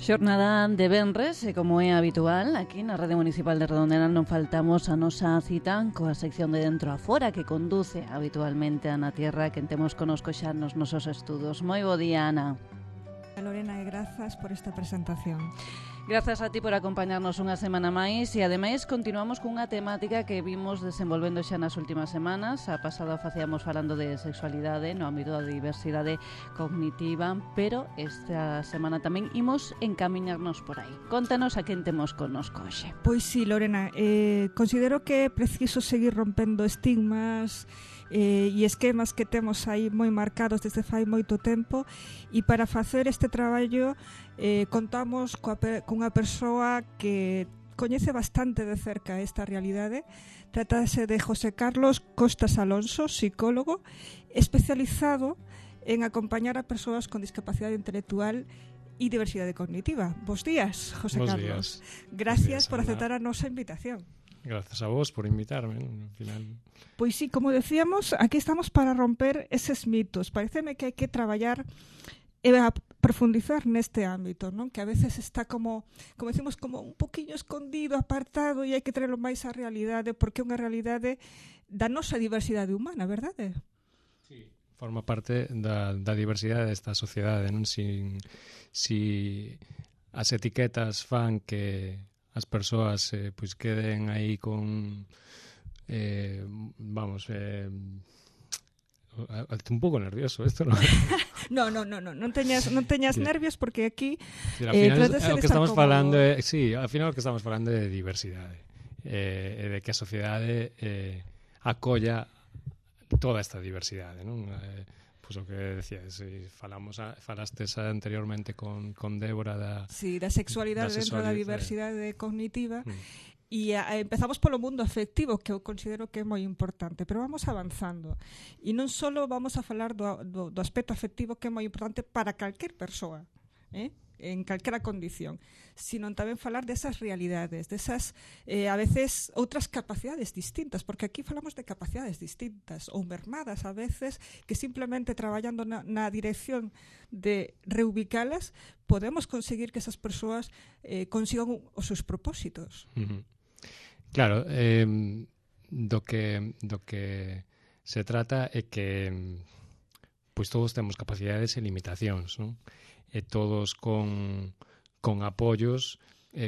Xornada de venres, e como é habitual, aquí na Rede Municipal de Redondela non faltamos a nosa cita coa sección de Dentro a Fora que conduce habitualmente a Na Tierra, que temos conosco xa nos nosos estudos. Moi bo día, Ana. Lorena, e grazas por esta presentación. Grazas a ti por acompañarnos unha semana máis e ademais continuamos cunha temática que vimos desenvolvendo xa nas últimas semanas. A pasada facíamos falando de sexualidade no ámbito da diversidade cognitiva, pero esta semana tamén imos encamiñarnos por aí. Contanos a quen temos connosco hoxe. Pois sí, Lorena, considero que é preciso seguir rompendo estigmas e esquemas que temos aí moi marcados desde fai moito tempo, e para facer este traballo contamos cunha persoa que coñece bastante de cerca esta realidade. Trátase de José Carlos Costas Alonso, psicólogo especializado en acompañar a persoas con discapacidade intelectual e diversidade cognitiva. Bos días, José Bos Carlos. días. Gracias por aceptar a nosa invitación. Grazas a vos por invitarme, ¿no? Al final. Pois sí, como decíamos, aquí estamos para romper eses mitos. Pareceme que hai que traballar e profundizar neste ámbito, non? Que a veces está como decimos, como un poquinho escondido, apartado, e hai que traerlo máis á realidade, porque é unha realidade da nosa diversidade humana, verdade? Sí. Forma parte da diversidade desta sociedade, non? Si as etiquetas fan que as persoas pois queden aí con un pouco nervioso isto, non? non teñas nervios, porque aquí al final trátase o de que estar estamos cómodo. falando ao final o que estamos falando é de diversidade, e de que a sociedade acolla toda esta diversidade, non? Pois o que decías, falastes anteriormente con Débora da sexualidade dentro da diversidade cognitiva. E empezamos polo mundo afectivo, que eu considero que é moi importante, pero vamos avanzando. E non só vamos a falar do aspecto afectivo, que é moi importante para calquer persoa, en calquera condición, sino tamén falar desas realidades, desas, a veces, outras capacidades distintas, porque aquí falamos de capacidades distintas, ou mermadas a veces, que simplemente traballando na dirección de reubicalas, podemos conseguir que esas persoas consigan os seus propósitos. Claro, do que se trata é que pois todos temos capacidades e limitacións, non? E todos con apoios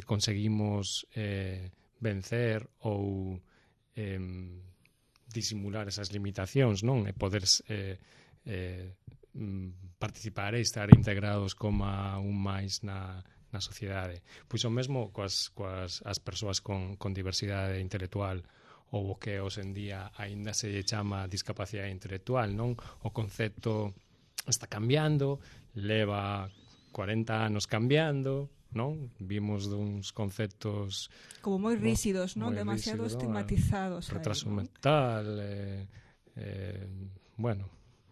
conseguimos vencer ou disimular esas limitacións, non? E poder participar e estar integrados como un máis na sociedade. Pois o mesmo coas as persoas con diversidade intelectual, ou o que hoxe en día aínda se chama discapacidade intelectual, non? O concepto está cambiando, leva 40 anos cambiando, non? Vimos duns conceptos como moi rígidos, non? Demasiado estigmatizados. Retraso mental,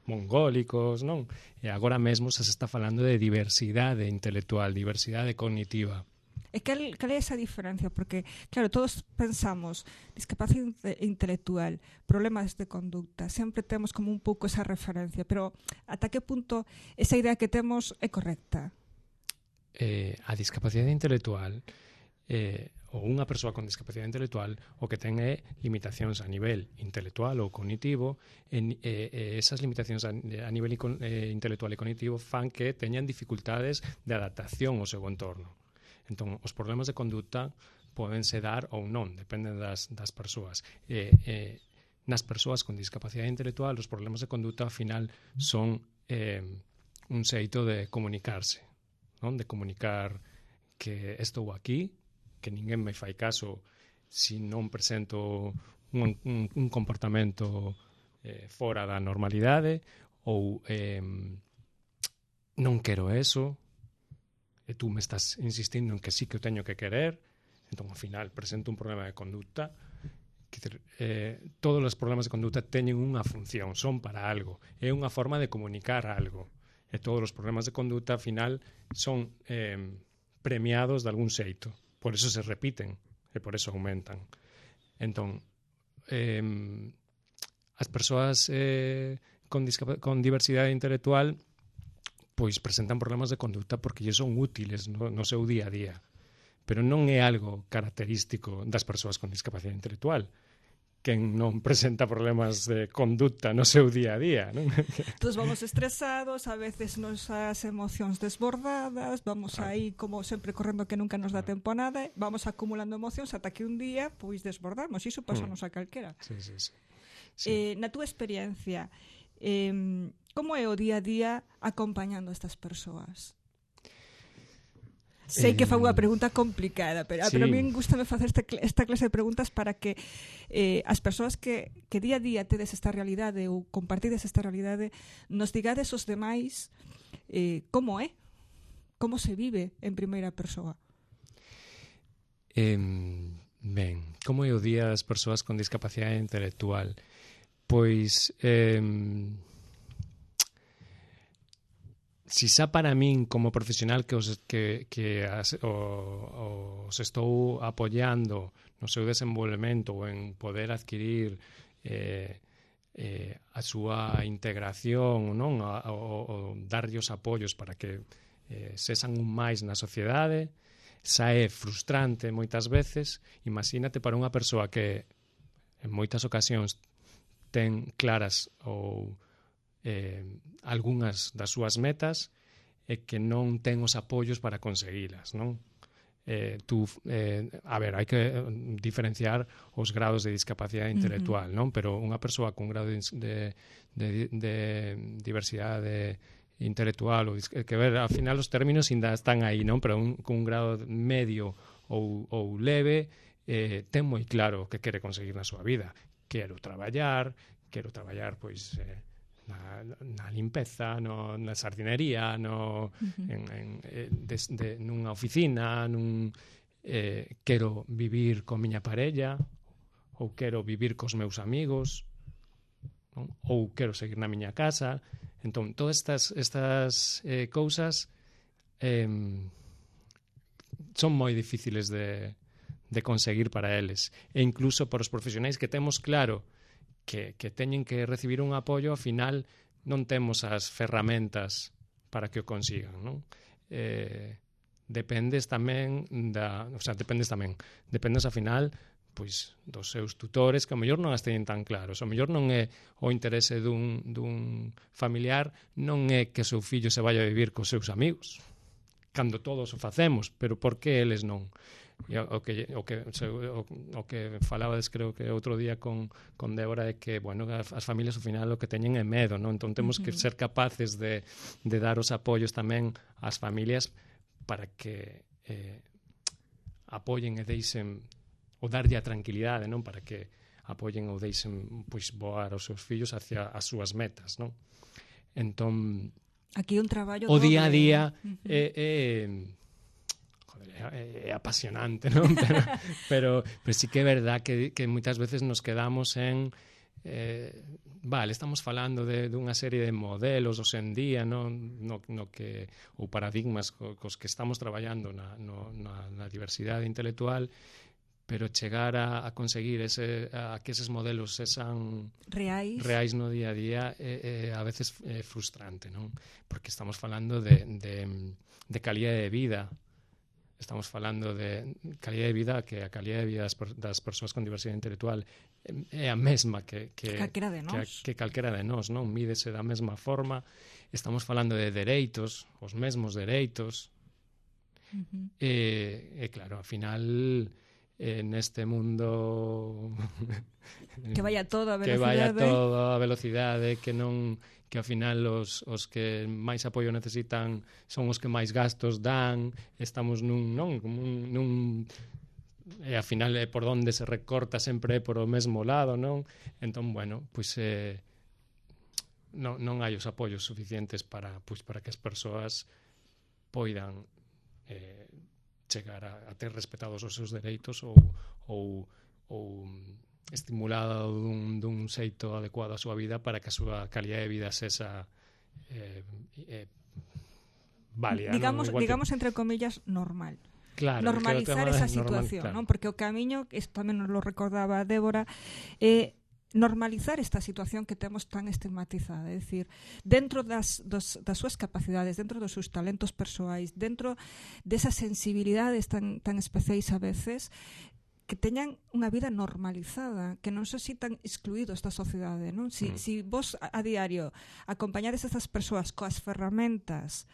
mongólicos, non? E agora mesmo se está falando de diversidade intelectual, diversidade cognitiva. E cal é esa diferencia? Porque, claro, todos pensamos discapacidade intelectual, problemas de conducta, sempre temos como un pouco esa referencia, pero ata que punto esa idea que temos é correcta? A discapacidade intelectual, ou unha persoa con discapacidade intelectual, o que ten é limitacións a nivel intelectual ou cognitivo, e esas limitacións a nivel intelectual e cognitivo fan que teñan dificultades de adaptación ao seu entorno. Entón, os problemas de conduta podense dar ou non, dependen das persoas. Nas persoas con discapacidade intelectual, os problemas de conduta, ao final, son un xeito de comunicarse, non? De comunicar que estou aquí, que ninguén me fai caso se non presento un comportamento fora da normalidade, ou non quero eso, e tú me estás insistindo en que sí que o teño que querer, entón, ao final, presento un problema de conduta. Todos os problemas de conduta teñen unha función, son para algo, é unha forma de comunicar algo, e todos os problemas de conduta, ao final, son premiados de algún xeito, por eso se repiten, e por eso aumentan. Entón, as persoas con diversidade intelectual pois presentan problemas de conduta porque lle son útiles no seu día a día. Pero non é algo característico das persoas con discapacidade intelectual. Quen non presenta problemas de conduta no seu día a día, non? Todos vamos estresados, a veces nosas emocións desbordadas, vamos aí como sempre correndo que nunca nos dá tempo a nada, vamos acumulando emocións ata que un día pois desbordamos, iso pasanos a calquera. Sí. Na túa experiencia, como é o día a día acompañando a estas persoas? Sei que fa unha pregunta complicada, pero a min gustame facer esta clase de preguntas para que as persoas que día a día tedes esta realidade ou compartides esta realidade nos digades os demais como é, como se vive en primeira persoa. Ben, como é o día das persoas con discapacidade intelectual? Pois si xa para min como profesional que os estou apoiando no seu desenvolvemento ou en poder adquirir a súa integración, non? O darlle os apoios para que sexan un máis na sociedade, xa é frustrante moitas veces. Imagínate para unha persoa que en moitas ocasións ten claras ou algunhas das súas metas e que non ten os apoios para conseguilas, non? A ver, hai que diferenciar os grados de discapacidade intelectual, non? Pero unha persoa con grado de diversidade intelectual, que ver, ao final os términos ainda están aí, non? Pero con un grado medio ou leve ten moi claro o que quere conseguir na súa vida. Quero traballar pois na limpeza, na sardinería, nunha oficina, quero vivir con miña parella, ou quero vivir cos meus amigos, non? Ou quero seguir na miña casa. Entón, todas estas cousas son moi difíciles de conseguir para eles. E incluso para os profesionais que temos claro que teñen que recibir un apoio, ao final non temos as ferramentas para que o consigan, non? Dependes ao final pois dos seus tutores, que ao mellor non as teñen tan claros. Ao mellor non é o interese dun familiar, non é que o seu fillo se vaya a vivir cos seus amigos, cando todos o facemos, pero por que eles non? O que falabades, creo que outro día con Débora, é que, bueno, as familias ao final o que teñen é medo, non? Entón temos que ser capaces de dar os apoios tamén ás familias para que apoien e deixen, ou darlle a tranquilidade, non? Para que apoien ou deixen pois voar os seus fillos hacia as súas metas, non? Entón, aquí un traballo o día a día é apasionante, non? Pero sí que é verdad que moitas veces nos quedamos en estamos falando dunha serie de modelos hoxe en día, no que, ou paradigmas cos que estamos traballando na diversidade intelectual, pero chegar a conseguir a que eses modelos sexan reais no día a día a veces é frustrante, non? Porque estamos falando de calidade de vida. Estamos falando de calidade de vida, que a calidade de vida das persoas con diversidade intelectual é a mesma que calquera de nós, non? Mídese da mesma forma. Estamos falando de dereitos, os mesmos dereitos. E claro, ao final neste mundo que vaya todo a velocidade, que ao final os que máis apoio necesitan son os que máis gastos dan. Estamos nun e ao final por onde se recorta sempre é por o mesmo lado, non? Entón, bueno, pois non hai os apoios suficientes para que as persoas poidan chegar a ter respetados os seus dereitos ou estimulada dun xeito adecuado á súa vida para que a súa calidade de vida sexa válida. Digamos entre comillas, normal. Claro, normalizar esa situación, normal, claro. ¿No? Porque o camiño, isto tamén nos lo recordaba Débora, é normalizar esta situación que temos tan estigmatizada, é dicir, dentro das súas capacidades, dentro dos seus talentos persoais, dentro desas sensibilidades tan especiais a veces, que teñan unha vida normalizada, que non se sintan excluídos da sociedade, non? Si vos a diario acompañades a estas persoas coas ferramentas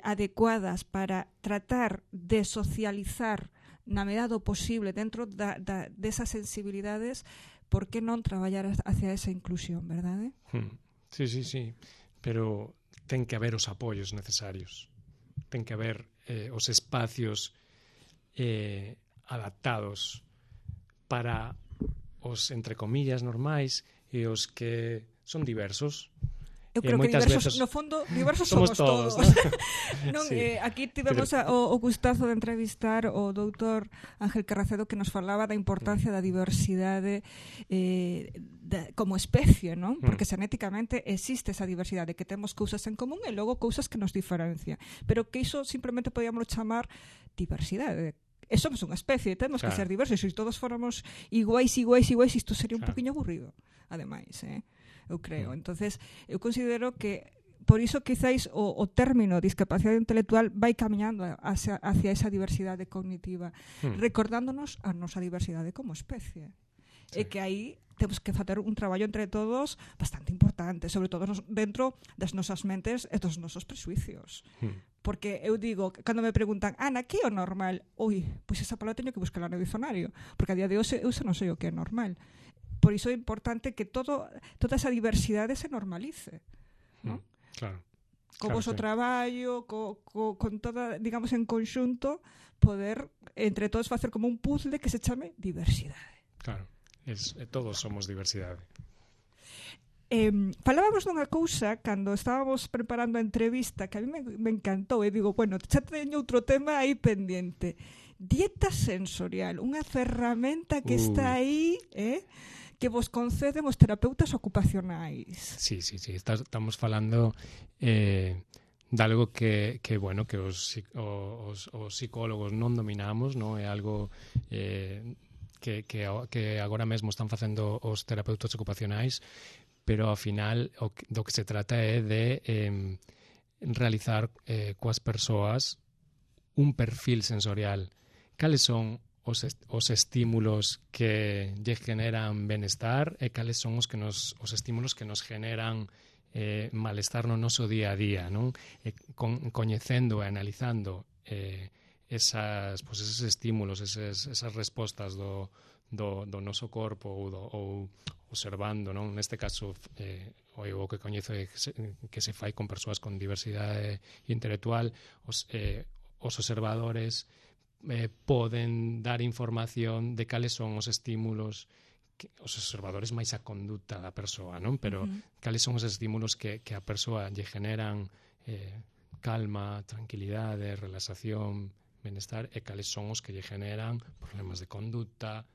adecuadas para tratar de socializar na medida do posible dentro desas sensibilidades, por que non traballar hacia esa inclusión, verdade? Sí. Pero ten que haber os apoios necesarios. Ten que haber os espacios adaptados para os, entre comillas, normais e os que son diversos. Eu creo que diversos, no fondo, diversos somos todos. Non, sí. Aquí tivemos o gustazo de entrevistar o doutor Ángel Carracedo, que nos falaba da importancia da diversidade como especie, non? Porque xenéticamente existe esa diversidade, que temos cousas en común e logo cousas que nos diferencian. Pero que iso simplemente podíamos chamar diversidade. E somos unha especie, temos que ser diversos. Se todos fóramos iguais, isto sería un poquinho aburrido, ademais, eu creo. Entonces, eu considero que por iso quizáis o término discapacidade intelectual vai camiñando hacia esa diversidade cognitiva, recordándonos a nosa diversidade como especie. E que aí temos que facer un traballo entre todos bastante importante, sobre todo dentro das nosas mentes e dos nosos presuicios. Porque eu digo, cando me preguntan, Ana, que é o normal? Pois esa palabra teño que buscar no dicionario, porque a día de hoxe eu non sei o que é normal. Por iso é importante que toda esa diversidade se normalice, ¿no? Claro. Co voso traballo, con toda, digamos, en conxunto, poder entre todos facer como un puzzle que se chame diversidade. Claro, todos somos diversidade. Falábamos dunha cousa cando estábamos preparando a entrevista que a mí me encantou, e digo, bueno, xa teño outro tema aí pendiente. Dieta sensorial, unha ferramenta que está aí, que vos conceden os terapeutas ocupacionais. Sí. Estamos falando de algo que os psicólogos non dominamos, non? É algo que agora mesmo están facendo os terapeutas ocupacionais, pero ao final do que se trata é de realizar coas persoas un perfil sensorial. Cales son os estímulos que lle generan benestar e cales son os estímulos que nos generan malestar no noso día a día, non? Coñecendo e analizando esos estímulos, esas respostas do noso corpo ou observando, non? Neste caso, o que coñezo é que se fai con persoas con diversidade intelectual, os observadores poden dar información de cales son os estímulos, os observadores máis a conduta da persoa, non? Pero cales son os estímulos que a persoa lle generan calma, tranquilidade, relaxación, benestar, e cales son os que lle generan problemas de conduta,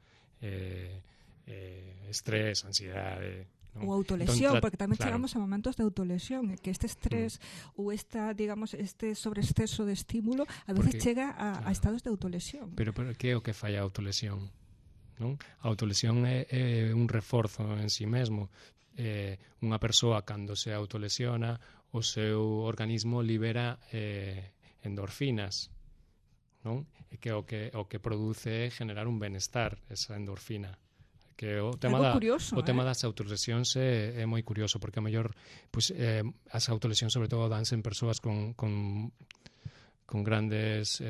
estrés, ansiedade, non? Ou autolesión, porque tamén chegamos a momentos de autolesión, que este estrés ou este sobreexceso de estímulo a veces chega a estados de autolesión. Pero que é o que fai a autolesión? Non? A autolesión é un reforzo en si mesmo. Unha persoa, cando se autolesiona, o seu organismo libera endorfinas, non? E que o que produce é generar un benestar, esa endorfina. Que o tema das autolesións é moi curioso, porque a mellor as autolesións sobre todo danse en persoas con grandes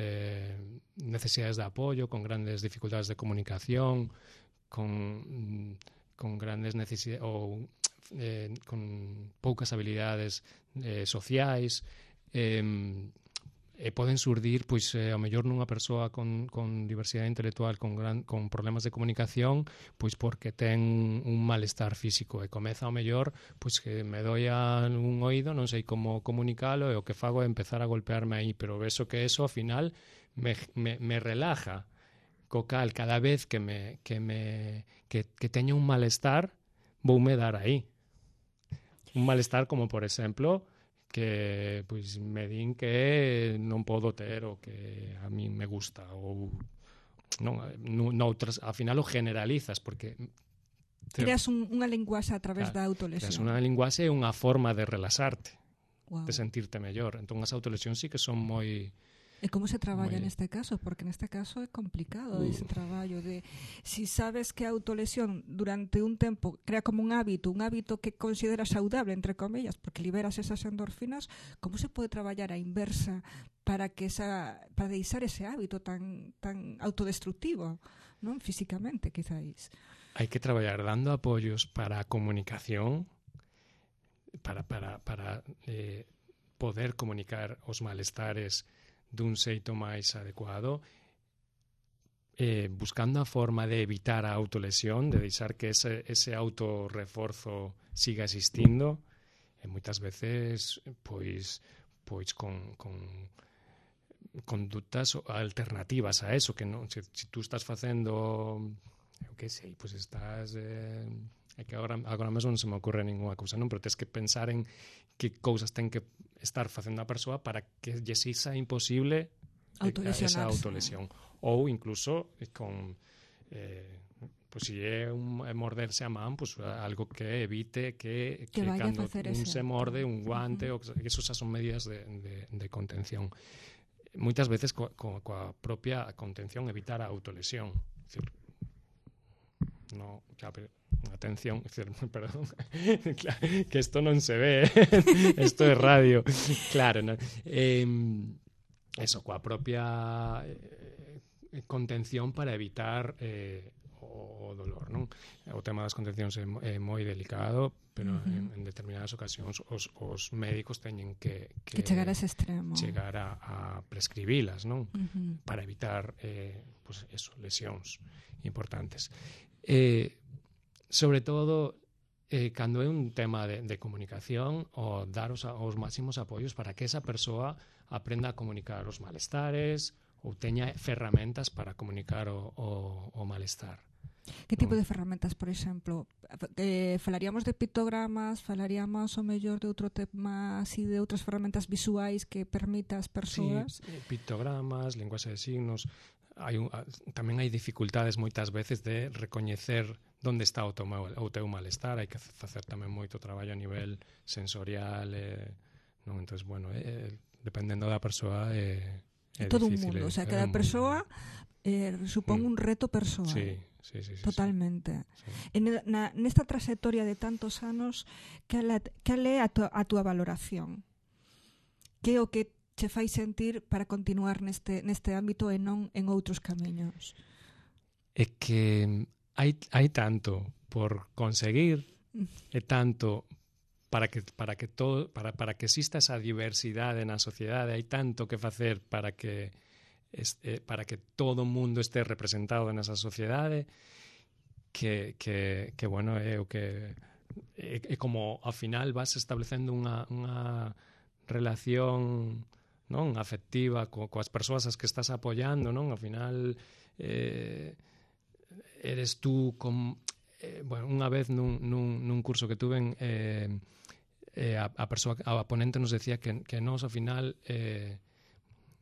necesidades de apoio, con grandes dificultades de comunicación, con grandes necesidades ou con poucas habilidades sociais, e poden surdir, ao mellor nunha persoa con diversidade intelectual, con problemas de comunicación, porque ten un malestar físico, e comeza ao mellor, que me doia un oído, non sei como comunicalo, e o que fago é empezar a golpearme aí, pero vexo que eso, ao final, me relaja, co cal, cada vez que teño un malestar, voume dar aí. Un malestar como, por exemplo, que me din que non podo ter o que a mí me gusta, ou non, noutras, ao final o generalizas, porque Creas unha linguaxe a través da autolesión. Creas unha linguaxe e unha forma de relaxarte, de sentirte mellor. Entón as autolesións sí que son moi... E como se traballa neste caso? Porque neste caso é complicado ese traballo de... Si sabes que a autolesión durante un tempo crea como un hábito que consideras saudable, entre comillas, porque liberas esas endorfinas, como se pode traballar a inversa para deixar ese hábito tan autodestructivo, non? Físicamente, quizáis. Hai que traballar dando apoios para a comunicación, para poder comunicar os malestares dun xeito máis adecuado, buscando a forma de evitar a autolesión, de deixar que ese autorreforzo siga existindo, e moitas veces pois con condutas alternativas a eso, que non, se tú estás facendo, eu que sei, pois estás... É que agora mesmo non se me ocorre ninguna cousa, non? Pero tens que pensar en que cousas ten que estar facendo a persoa para que lle sexa imposible esa autolesión. Ou incluso con pois se é morderse a man, pois algo que evite que cando un se morde un guante, ou que esos son medidas de contención. Moitas veces coa propia contención evitar a autolesión. É dicir, no, atención, perdón, claro, que isto non se ve, isto é radio, claro, ¿no? Eso, coa propia contención para evitar o dolor, non? O tema das contencións é moi delicado, pero en determinadas ocasións os médicos teñen que chegar a ese extremo, chegar a prescribilas, non? Para evitar pues eso, lesións importantes. Sobre todo cando é un tema de comunicación, o dar os máximos apoios para que esa persoa aprenda a comunicar os malestares ou teña ferramentas para comunicar o malestar. Que tipo de ferramentas, por exemplo? Falaríamos de pictogramas, falaríamos o mellor de outro tema, así de outras ferramentas visuais que permita ás persoas? Sí, pictogramas, linguaxe de signos. Tamén hai dificultades moitas veces de recoñecer onde está o teu malestar. Hai que facer tamén moito traballo a nivel sensorial, non? Entón, bueno, dependendo da persoa é todo difícil. Un mundo, o sea, cada persoa supón un reto persoal. Sí. Totalmente. Sí. Nesta trayectoria de tantos anos, cal é a túa valoración? Que é o que che fai sentir para continuar neste ámbito e non en outros camiños? É que hai tanto por conseguir, e tanto para que exista esa diversidade na sociedade, hai tanto que facer para que todo o mundo este representado nesa sociedade, que bueno, é o que é como ao final vas establecendo unha relación, non, afectiva coas persoas as que estás apoiando, non? Ao final eres tú bueno, unha vez nun curso que tuve a ponente nos decía que nós ao final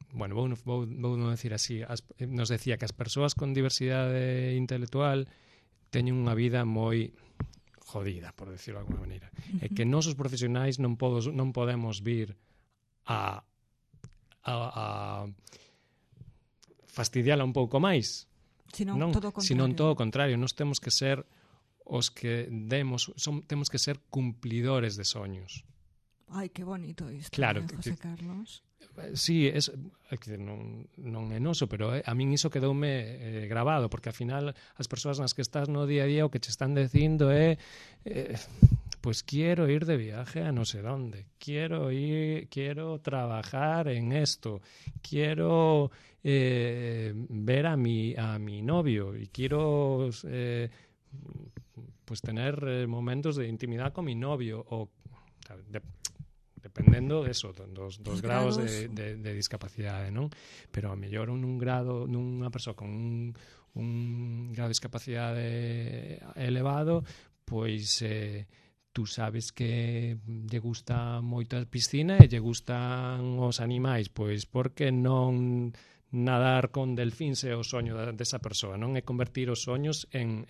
bueno, vou decir así, nos decía que as persoas con diversidade intelectual teñen unha vida moi jodida, por decirlo de alguma maneira, e que nós os profesionais non podemos vir a fastidiala un pouco máis, senón todo o contrario. Nós temos que ser os que temos que ser cumplidores de soños. Ai, que bonito isto, claro, José Carlos. Sí, non é noso, pero a min iso quedoume grabado, porque ao final as persoas nas que estás no día a día o que che están dicindo é pues quiero ir de viaje a no sé dónde, quiero trabajar en esto, quiero ver a mi novio y quiero pues tener momentos de intimidad con mi novio, o dependendo eso, dos grados de discapacidade, non? Pero a mellor nunha persoa con un grado de discapacidade elevado, pois tú sabes que lle gusta moito a piscina e lle gustan os animais, pois porque non nadar con delfíns é o soño desa persoa, non é convertir os soños en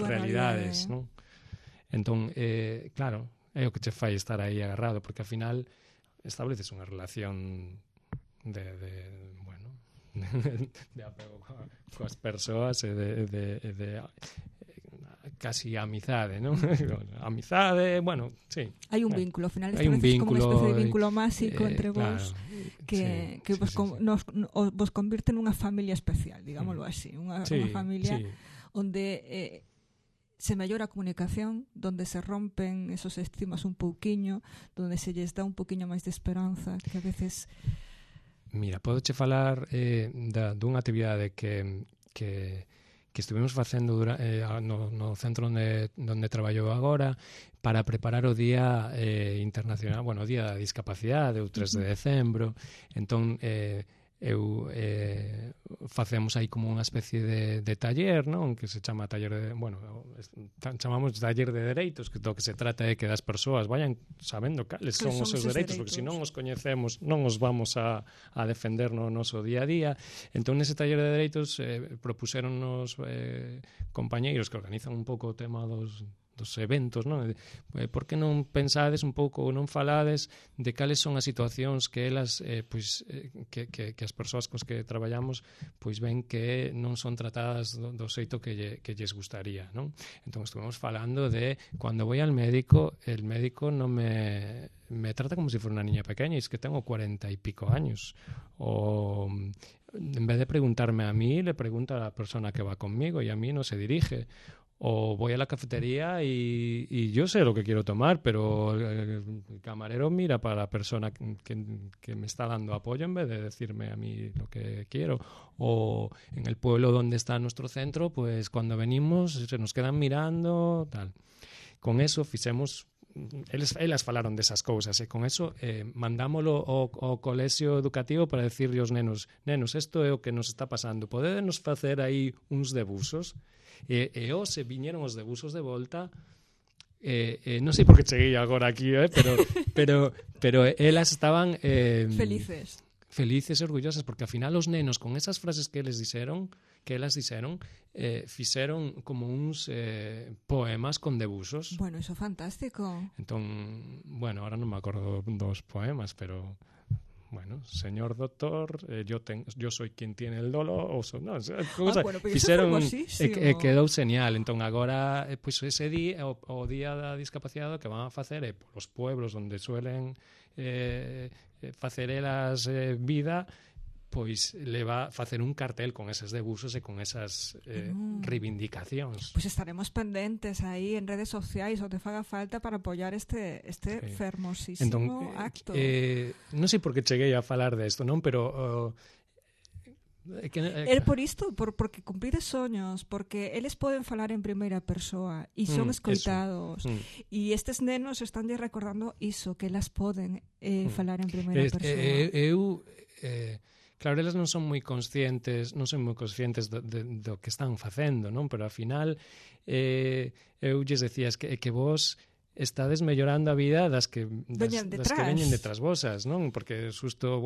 realidades, non? Entón, claro, é o que che fai estar aí agarrado, porque ao final estableces unha relación de apego coas persoas e de casi amizade, non? Amizade, bueno, sí. Hai un vínculo, ao final estableces como unha especie de vínculo máxico entre vos, que vos convirte nunha familia especial, digámoslo así, unha familia onde se mellora a comunicación, donde se rompen esos estigmas un pouquiño, donde se lles dá un pouquiño máis de esperanza, que a veces... Mira, podoche falar dunha actividade que estivemos facendo no centro onde traballo agora para preparar o Día Internacional, o Día da Discapacidade, o 3 de decembro. Entón, facemos aí como unha especie de taller, non? Que se chama taller de, chamamos taller de dereitos, que do que se trata é que das persoas vayan sabendo cales son os seus dereitos, porque se non os coñecemos non os vamos a defender no noso día a día. Entón, nese taller de dereitos propuseron os compañeiros que organizan un pouco o tema dos eventos, non? Por que non pensades un pouco ou non falades de cales son as situacións que elas, que as persoas cos que traballamos ven que non son tratadas do xeito que lles gustaría, non? Entón, estuvemos falando de cando vou al médico, el médico non me trata como se for unha niña pequeña, e es que tengo 40 y pico años, o en vez de preguntarme a mí, le pregunta a la persona que va conmigo y a mí no se dirige. O voy a la cafetería y yo sé lo que quiero tomar, pero el camarero mira para la persona que me está dando apoyo en vez de decirme a mí lo que quiero. O en el pueblo donde está nuestro centro, pues cuando venimos se nos quedan mirando, tal. Con eso fixemos... Elas falaron desas cousas e con eso mandámolo ao colexio educativo para decirle aos nenos, isto é o que nos está pasando, podedenos facer aí uns debuxos? E se viñeron os debuxos de volta, non sei por que cheguei agora aquí, pero elas estaban felices e orgullosas, porque ao final os nenos con esas frases que elas dixeron fixeron como uns poemas con debuxos. Bueno, iso é fantástico. Entón, ahora non me acordo dos poemas, pero señor doctor, yo soy quien tiene el dolor, fixeron e quedou señal. Entón agora, ese día, o día da discapacidade, que van a facer é polos pueblos onde suelen facer elas vida, pois le va a facer un cartel con eses debuxos e con esas reivindicacións. Pois estaremos pendentes aí en redes sociais onde faga falta para apoiar este fermosísimo acto. Non sei por que cheguei a falar desto, non? Pero... por isto, porque cumprides soños, porque eles poden falar en primeira persoa e son escoitados, e estes nenos estanlle recordando iso, que elas poden falar en primeira persoa. Claro, elas non son moi conscientes do que están facendo, non? Pero ao final eu lles decía que vos estades mellorando a vida das que veñen detrás vosas, non? Porque xusto,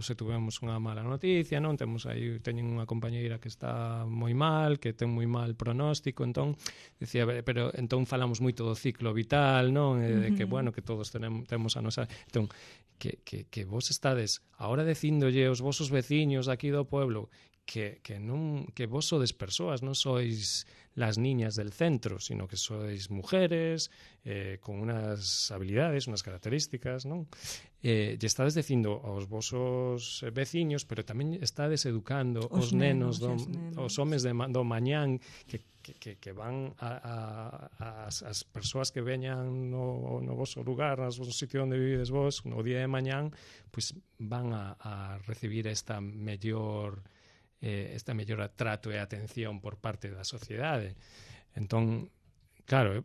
se tuvemos unha mala noticia, non? Teñen unha compañeira que está moi mal, que ten moi mal pronóstico, entón decía, pero entón falamos moito do ciclo vital, non? De que, que todos temos a nosa... Entón, que vos estades ahora dicíndolle aos vosos veciños aquí do pueblo que vos sodes persoas, non sois las niñas del centro, sino que sois mujeres con unas habilidades, unas características, non? E estades dicindo aos vosos veciños, pero tamén estades educando os nenos, os homes do mañán que van as persoas que veñan no voso lugar, no voso sitio onde vivides vos, no día de mañán, pois van a recibir esta mellor trato e atención por parte da sociedade. Entón, claro,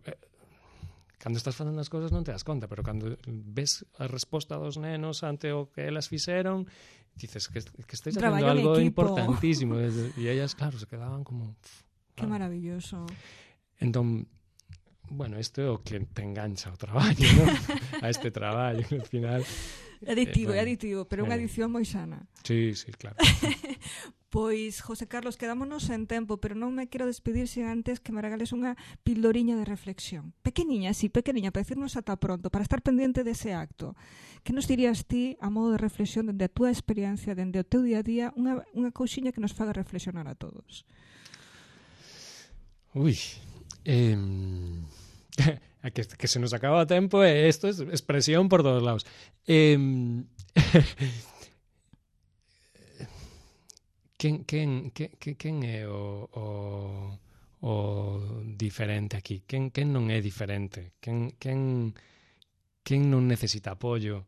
cando estás facendo as cousas non te das conta, pero cando ves a resposta dos nenos ante o que elas fixeron, dices que estáis facendo algo importantísimo, e ellas, claro, se quedaban como... Que maravilloso. Entón, isto é o que te engancha ao traballo, non? A este traballo, al final... aditivo, pero unha adición moi sana. Sí, claro. Pois, José Carlos, quedámonos en tempo, pero non me quero despedir sin antes que me regales unha pildoriña de reflexión. Pequeniña, para decirnos ata pronto, para estar pendiente dese acto. Que nos dirías ti, a modo de reflexión, dende a túa experiencia, dende o teu día a día, unha cousiña que nos faga reflexionar a todos? Ui, que se nos acaba o tempo e isto é expresión por todos lados. Quen é o diferente aquí? Quen non é diferente? Quen non necesita apoio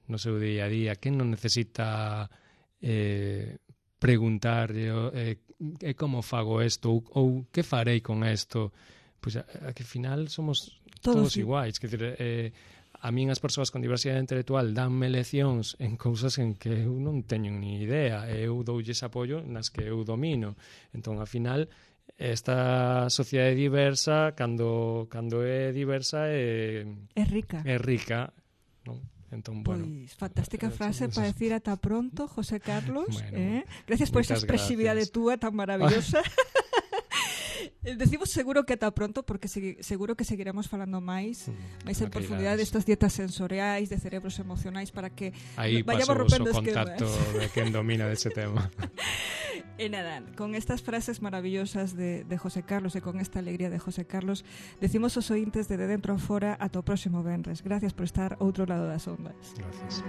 no seu día a día? Quen non necesita preguntar como fago isto ou que farei con isto? Pois a que final somos todos iguais. Quer dizer, a min as persoas con diversidade intelectual danme leccións en cousas en que eu non teño ni idea, e eu doulles apoio nas que eu domino. Entón, ao final, esta sociedade diversa, cando é diversa, é rica, non? Entón, bueno, pois, fantástica frase para decir ata pronto, José Carlos. Gracias por esa expresividade túa tan maravillosa. Decimos seguro que ata pronto, porque seguro que seguiremos falando máis en profundidade destas dietas sensoriais, de cerebros emocionais, para que aí vayamos rompendo esquemas. Aí paso o contacto de quen domina dese tema. E nada, con estas frases maravillosas de José Carlos e con esta alegría de José Carlos, decimos aos ointes de Dentro a Fora ata o próximo venres. Gracias por estar outro lado das ondas. Gracias.